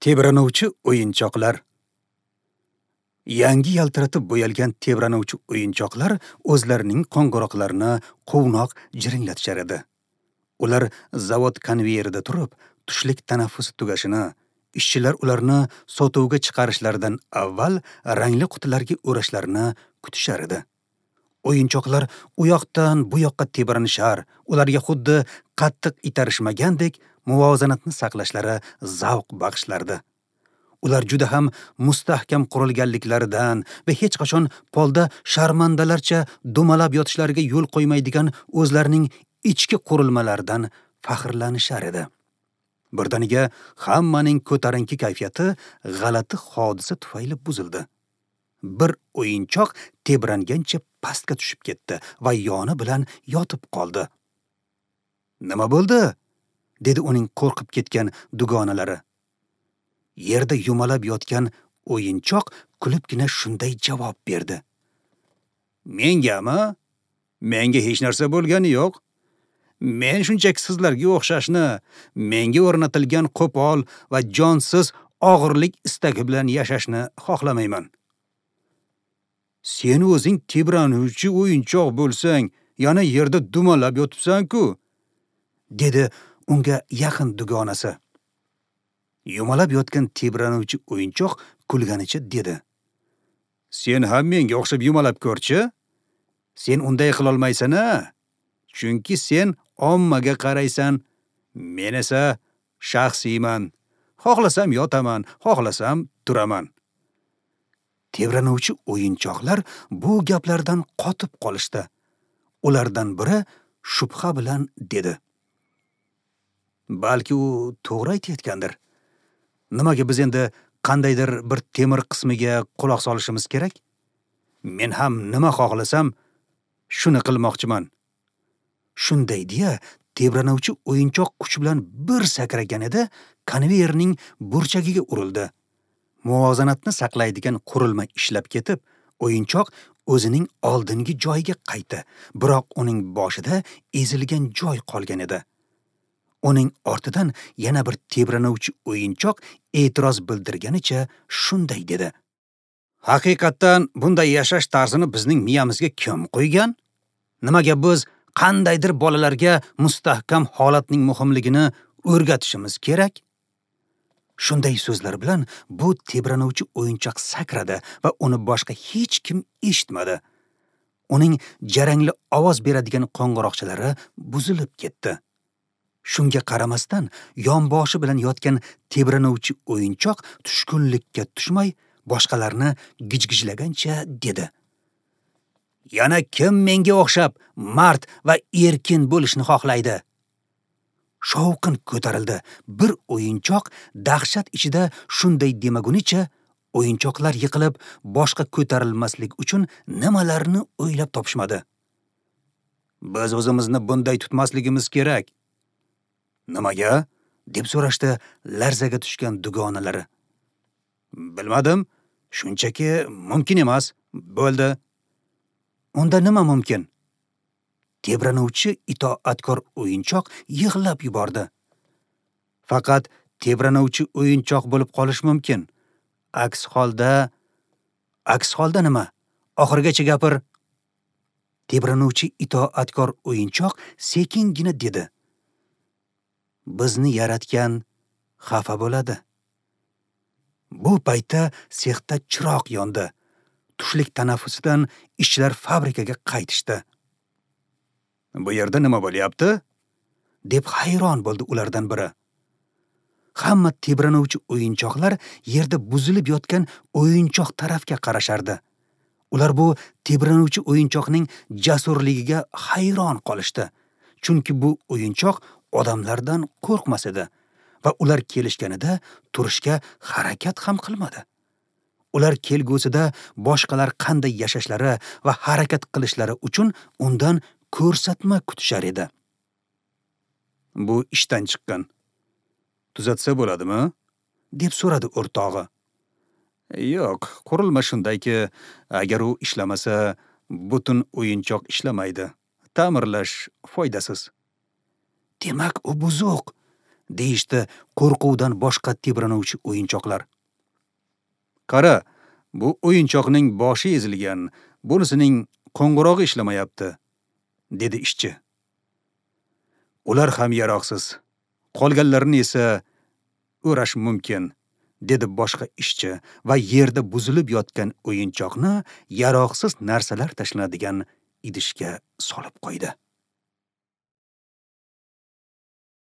Tebranuvchi o'yinchoqlar. Yangi yaltiratib bo'yalgan tebranuvchi o'yinchoqlar o'zlarining qo'ng'iroqlarini quvnoq jiringlatishar edi. Ular zavod konveyerida turib, tushlik tanaffusi tugashini, ishchilar ularni sotuvga chiqarishlaridan avval rangli qutilarga o'rashlarini kutishar edi. O'yinchoqlar u yoqdan bu yoqqa tebranishar, ularga xuddi qattiq itarishmagandek muvozanatni saqlashlari zavq bag'ishlardi. Ular juda ham mustahkam qurilganliklaridan va hech qachon polda sharmandalarcha dumalab yotishlariga yo'l qo'ymaydigan o'zlarining ichki qurilmalaridan faxrlanishar edi. Birdaniga hammaning ko'tarinki kayfiyati g'alati hodisa tufayli buzildi. Bir o'yinchoq tebrangancha pastga tushib ketdi va yoni bilan yotib qoldi. "Nima bo'ldi?" dedi uning qo'rqib ketgan dugonalari. Yerda yumalab yotgan o'yinchoq kulibgina shunday javob berdi: "Mengami? Menga hech narsa bo'lgani yo'q. Men shunchaki sizlarga o'xshashni, menga o'rnatilgan qo'pol va jonsiz og'irlik istagi bilan yashashni xohlamayman." "Sen o'zing tebranuvchi o'yinchoq bo'lsang, yana yerda dumalab yotibsan-ku," dedi unga yaqin dugonasi. Yumalab yotgan tebranuvchi o'yinchoq kulganicha dedi: "Sen ham menga o'xshab yumalab ko'rchi. Sen unday qila olmaysan-a? Chunki sen ommaga qaraysan, men esa shaxsiyman. Xohlasam yotaman, xohlasam turaman." Tebranuvchi o'yinchoqlar bu gaplardan qotib qolishdi. Ulardan biri shubha bilan dedi: "Balki u to'g'ri aytayotgandir. Nimaga biz endi qandaydir bir temir qismiga quloq solishimiz kerak? Men ham nima xohlasam shuni qilmoqchiman." Shunday deya tebranuvchi o'yinchoq kuch bilan bir sakragan edi, konveyerning burchagiga urildi. Muvozanatni saqlaydigan qurilma ishlab ketib, o'yinchoq o'zining oldingi joyiga qaytdi, biroq uning boshida ezilgan joy qolgan edi. Uning ortidan yana bir tebranuvchi o'yinchoq e'tiroz bildirganicha shunday dedi: "Haqiqatdan bunday yashash tarzini bizning miyamizga kim qo'ygan? Nimaga biz qandaydir bolalarga mustahkam holatning muhimligini o'rgatishimiz kerak?" Shunday so'zlar bilan bu tebranuvchi o'yinchoq sakradi va uni boshqa hech kim eshitmadi. Uning jarangli ovoz beradigan qo'ng'iroqchalari buzilib ketdi. Shunga qaramasdan yonboshi bilan yotgan tebranuvchi o'yinchoq tushkunlikka tushmay, boshqalarni gijgijlagancha dedi: "Yana kim menga o'xshab mard va erkin bo'lishni xohlaydi?" Shovqin ko'tarildi. Bir o'yinchoq dahshat ichida shunday demagunicha o'yinchoqlar yiqilib, boshqa ko'tarilmaslik uchun nimalarni o'ylab topishmadi. "Biz o'zimizni bunday tutmasligimiz kerak." "Nimaga?" deb so'rashdi larzaga tushgan dugonalari. "Bilmadim, shunchaki mumkin emas, bo'ldi." "Unda nima mumkin?" Tebranuvchi itoatkor o'yinchoq yig'lab yubordi. "Faqat tebranuvchi o'yinchoq bo'lib qolish mumkin. Aks holda nima? Oxirigacha gapir." Tebranuvchi itoatkor o'yinchoq sekingina dedi: "Bizni yaratgan xafa bo'ladi." Bu paytda sexda chiroq yondi. Tushlik tanaffusidan ishchilar fabrikaga qaytishdi. "Bu yerda nima bo'lyapti?" deb hayron bo'ldi ulardan biri. Hamma tebranuvchi o'yinchoqlar yerda buzilib yotgan o'yinchoq tarafga qarashardi. Ular bu tebranuvchi o'yinchoqning jasurligiga hayron qolishdi. Chunki bu o'yinchoq odamlardan qo'rqmas edi va ular kelishganida turishga harakat ham qilmadi. Ular kelgusida boshqalar qanday yashashlari va harakat qilishlari uchun undan ko'rsatma kutishar edi. "Bu ishdan chiqqan. Tuzatsa bo'ladimi?" deb so'radi o'rtog'i. "Yo'q, qurilma shundayki, agar u ishlamasa, butun o'yinchoq ishlamaydi. Ta'mirlash foydasiz." "Demak, u buzuq. deyishdi qo'rquvdan boshqa tebranuvchi o'yinchoqlar. Qara, bu o'yinchoqning boshi ezilgan, bunisining qo'ng'irog'i ishlamayapti, dedi ishchi. Ular ham yaroqsiz. Qolganlarini esa o'rash mumkin, dedi boshqa ishchi va yerda buzilib yotgan o'yinchoqni yaroqsiz narsalar tashlanadigan idishga solib qo'ydi.